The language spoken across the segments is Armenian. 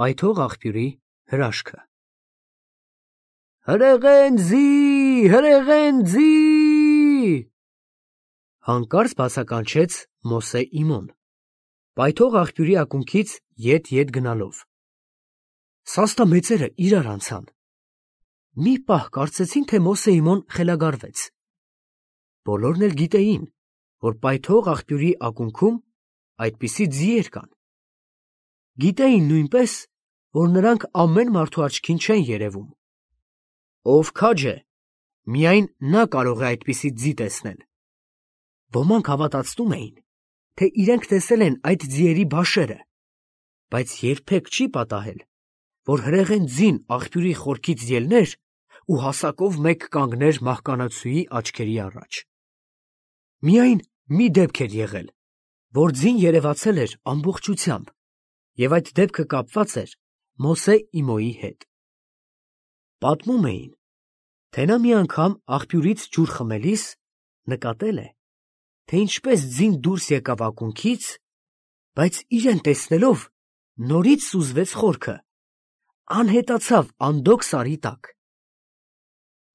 Պայթող աղբյուրի հրաշքը։ Հրեղենձի, հրեղենձի, հանկարծ բացականչեց Մոսե իմոն, պայթող աղբյուրի ակունքից ետ գնալով։ Սաստամեծերը իրար անցան։ Մի պահ կարծեցին, թե Մոսե իմոն խելագարվեց։ Բոլորն էլ գիտեին, որ պայթող աղբյուրի ակունքում այդպիսի ձիեր կան։ Գիտեին նույնպես, որ նրանք ամեն մարդու աչքին չեն երևում։ Ով քաջ է, միայն նա կարող է այդպիսի ձի տեսնել։ Ոմանք հավատացնում էին, թե իրենք տեսել են այդ ձիերի բաշերը, բայց երբեք չի պատահել, որ հրեղեն ձին աղբյուրի խորքից ելներ ու հասակով մեկ կանգներ մահկանացուի աչքերի առաջ։ Միայն մի դեպք էր եղել, որ ձին երևացել էր ամբողջությամբ, և այդ դեպքը կապված էր Մոսե իմոյի հետ։ Պատմում էին, թե նա մի անգամ աղբյուրից ջուր խմելիս նկատել է, թե ինչպես ձին դուրս եկավ ակունքից, բայց իրեն տեսնելով նորից սուզվեց խորքը, անհետացավ անդոգ սարի տակ։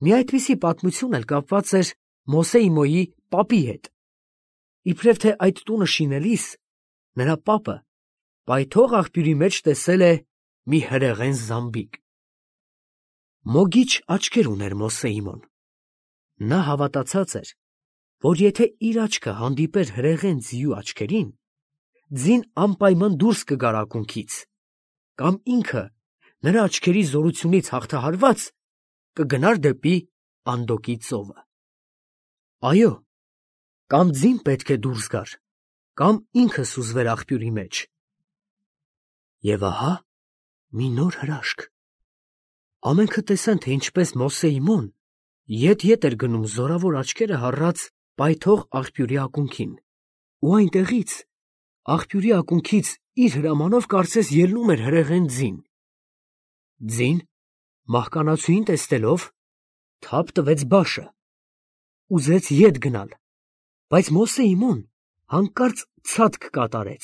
Մի այդպիսի պատմություն էլ կապված էր Մոսե իմոյի պապի հետ, իբրև թե այդ տունը շինելիս նրա պապը պայթող աղբյուրի մեջ տեսել է մի հրեղեն զամբիկ։ Մոգիչ աչքեր ուներ Մոսե իմոն։ Նա հավատացած էր, որ եթե իր աչքը հանդիպեր հրեղեն ձիու աչքերին, ձին անպայման դուրս կգար ակունքից, կամ ինքը նրա աչքերի զորությունից հաղթահարված կգնար դեպի անդոգի ծովը։ Այո, կամ ձին պետք է դուրս գար, կամ ինքը սուզվեր աղբյուրի մեջ։ Եվ ահա մի նոր հրաշք։ Ամենքը տեսան, թե ինչպես Մոսե իմոն ետ էր գնում զորավոր աչքերը հառած պայթող աղբյուրի ակունքին, ու այնտեղից, աղբյուրի ակունքից իր հրամանով կարծես ելնում էր հրեղեն ձին։ Ձին, մահկանացուին տեսնելով, թափ տվեց բաշը, ուզեց ետ գնալ, բայց Մոսե իմոն հանկարծ ցատկ կատարեց,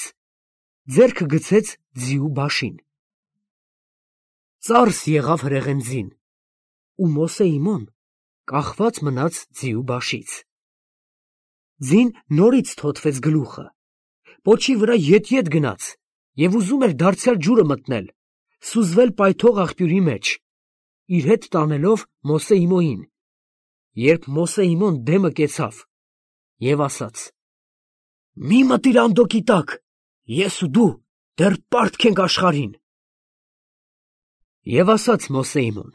ձեռքը գցեց ձիու բաշին։ Ծարս եղավ հրեղեն ձին, ու Մոսե իմոն կախված մնաց ձիու բաշից։ Ձին նորից թոթվեց գլուխը, պոչի վրա ետ գնաց և ուզում էր դարձյալ ջուրը մտնել, սուզվել պայթող աղբյուրի մեջ, իր հետ տանելով Մոսե իմոյին, երբ Մոսե իմոն դեմը կեցավ և ասաց. «Մի մտիր անդոգի տակ, ես ու դու դեռ պարտք ենք աշխարհին»։ Եվ ասաց Մոսե իմոն.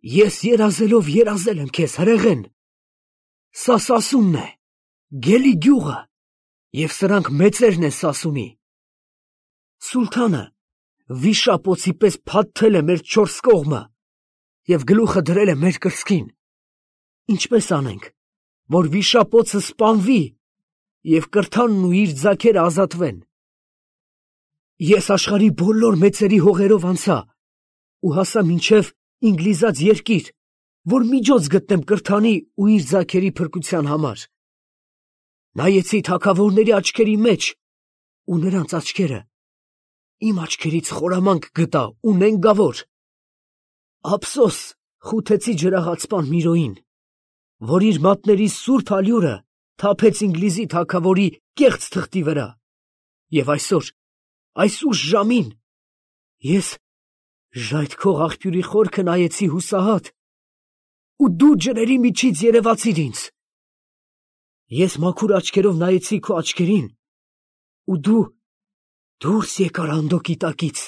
«Ես երազելով երազել եմ քեզ, հրեղեն, սա Սասունն է, Գելի գյուղը, և սրանք մեծերն են Սասունի։ Սուլթանը վիշապոցի պես փաթթել է մեր չորս կողմը և գլուխը դրել է մեր կրծքին։ Ինչպե՞ս անենք, որ վիշապոցը սպանվի և կրթանն ու իր ձագերը ազատվեն։ Ես աշխարհի բոլոր մեծերի հողերով անցա ու հասա մինչև Ինգլիզած երկիր, որ միջոց գտնեմ կրթանի ու իր ձագերի փրկության համար։ Նայեցի թագավորների աչքերի մեջ, ու նրանց աչքերը իմ աչքերից խորամանկ գտա ու նենգավոր։ Ափսոս Խութեցի ջրաղացպան Միրոյին, որ իր մատների սուրբ ալյուրը թափեց Ինգլիզի թագավորի կեղծ թղթի վրա, և այս ուշ ժամին ես ժայթքող աղբյուրի խորքը նայեցի հուսահատ, ու դու ջրերի միջից երևացիր ինձ։ Ես մաքուր աչքերով նայեցի քո աչքերին, ու դու դուրս եկար անդոգի տակից։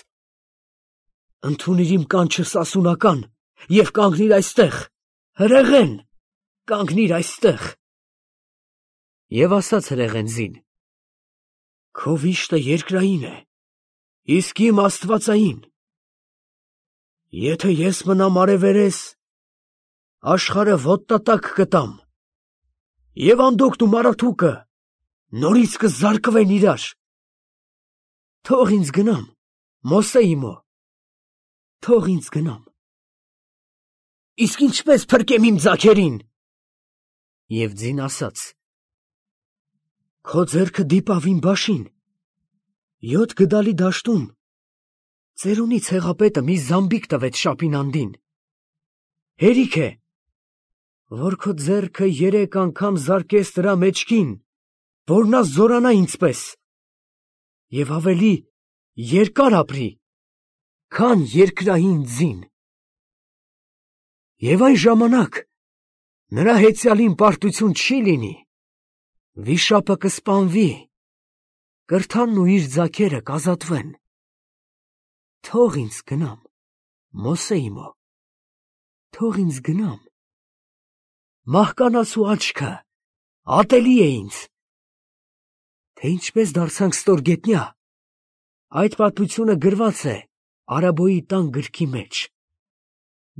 Ընդունիր իմ կանչը սասունական և կանգնիր այստեղ, հրեղեն, կանգնիր այստեղ։ Եվ ասաց հրեղեն ձին. «Քո վիշտը երկրային է, իսկ իմ աստվածային։ Եթե ես մնամ արևերես, աշխարհը ոտնատակ կտամ, և անդոգն ու մարաթուկը նորից կզարկվեն իրար։ Թող ինձ գնամ, Մոսե իմո, թող ինձ գնամ։ Իսկ ինչպես փրկեմ իմ ձագերին»։ Եվ ձին ասաց. «Քո ձեռքը դիպավ իմ բաշին, 7 գդալի դաշտում ծերունի ցեղապետը մի զամբիկ տվեց Շապինանդին։ Հերիք է, որ քո ձեռքը 3 անգամ զարկես դրա մեջքին, որ նա զորանա ինձպես, եւ ավելի երկար ապրի, քան երկրային ձին։ Եվ այն ժամանակ նրա հեծյալին պարտություն չի լինի, վիշապը կսպանվի, կրթանն ու իր ձագերը կազատվեն։ Թող ինձ գնամ, Մոսեիմո, թող ինձ գնամ։ Մահկանացու աչքը ատելի է ինձ։ Թե ինչպես դարձանք ստորգետնյա, այդ պատմությունը գրված է Արաբոյի տան գրքի մեջ։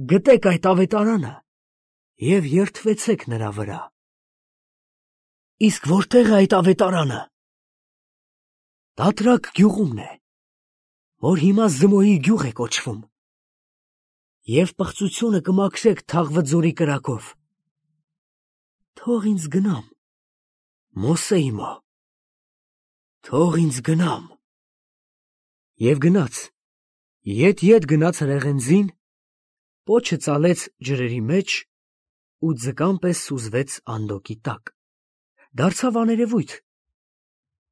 Գտեք այդ ավետարանը և երդվեցեք նրա վրա։ Իսկ որտեղ է այդ ավետարանը։ Դադրակ գյուղումն է, որ հիմա Զմոյի գյուղ է կոչվում, և պղծությունը կմաքրեք Թաղվձորի կրակով։ Թող ինձ գնամ, Մոսեիմո, թող ինձ գնամ։ Եվ գնաց, ետ գնաց հրեղենձին, պոչը ծալեց ջրերի մեջ ու ձկան պես սուզվեց անդոկի տակ, դարձավ աներևույթ,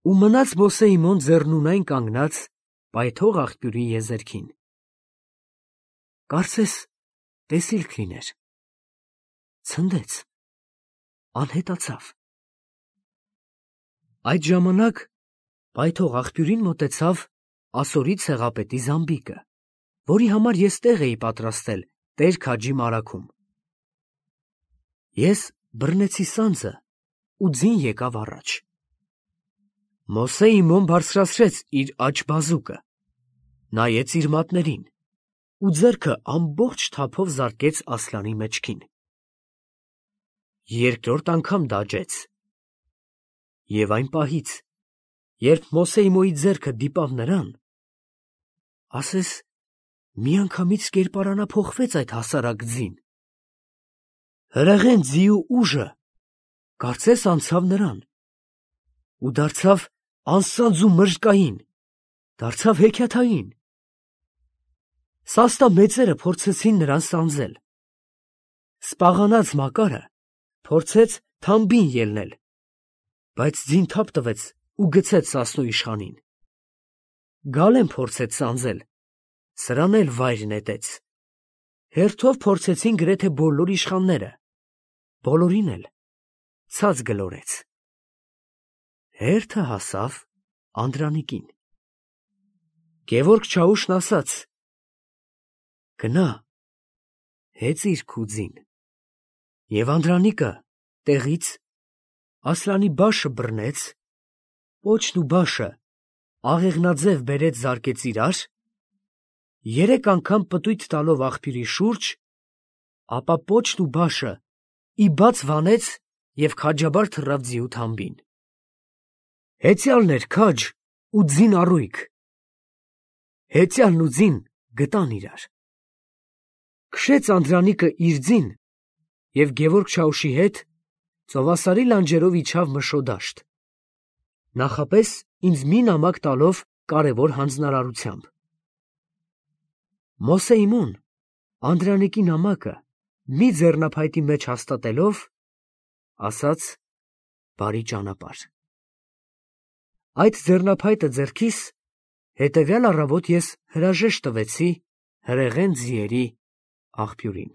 ու մնաց Մոսեիմոն ձեռնունայն կանգնած պայթող աղբյուրի եզերքին։ Կարծես տեսիլք լիներ, ցնդեց, անհետացավ։ Այդ ժամանակ պայթող աղբյուրին մոտեցավ Ասորի ցեղապետի զամբիկը, որի համար ես տեղ էի պատրաստել Տեր քաջի մարագում։ Ես բռնեցի սանձը ու ձին եկավ առաջ։ Մոսեիմոն բարձրացրեց իր աջ բազուկը, նայեց իր մատներին ու ձեռքը ամբողջ թափով զարկեց Ասլանի մեջքին։ Երկրորդ անգամ դաջեց։ Եվ այն պահից, երբ Մոսեիմոյի ձեռքը դիպավ նրան, ասես միանգամից կերպարանափոխվեց այդ հասարակ ձին։ Հրեղեն ձիու ուժը կարծես անցավ նրան ու դարձավ անսանձ ու մրրկային, դարձավ հեքիաթային։ Սաստա մեծերը փորձեցին նրան սանձել։ Սպաղանած Մակարը փորձեց թամբին ելնել, բայց ձին թափ տվեց ու գցեց Սասնու իշխանին։ Գալեն փորձեց սանձել, սրան էլ վայր նետեց։ Հերթով փորձեցին գրեթե բոլոր իշխանները, բոլորին էլ ցած գլորեց։ Հերթը հասավ Անդրանիկին։ Գևորգ Չաուշն ասաց. «Գնա, հեծիր քու ձին»։ Եվ Անդրանիկը տեղից Ասլանի բաշը բռնեց, պոչն ու բաշը աղեղնաձև բերեց զարկեց իրար, 3 անգամ պտույտ տալով աղբյուրի շուրջ, ապա պոչն ու բաշը ի բաց վանեց և քաջաբար թռավ ձիու թամբին։ Հեծյալն էր քաջ ու ձին առույգ։ Հեծյալն ու ձին գտան իրար։ Քշեց Անդրանիկը իր ձին և Գևորգ Չաուշի հետ ծովասարի լանջերով իջավ Մշո դաշտ, նախապես ինձ մի նամակ տալով կարևոր հանձնարարությամբ։ Մոսեիմոն Անդրանիկի նամակը մի ձեռնափայտի մեջ հաստատելով, ասաց. «Բարի ճանապարհ»։ Այդ ձեռնափայտը ձեռքիս հետևյալ առավոտ ես հրաժեշտ տվեցի հրեղեն ձիերի աղբյուրին։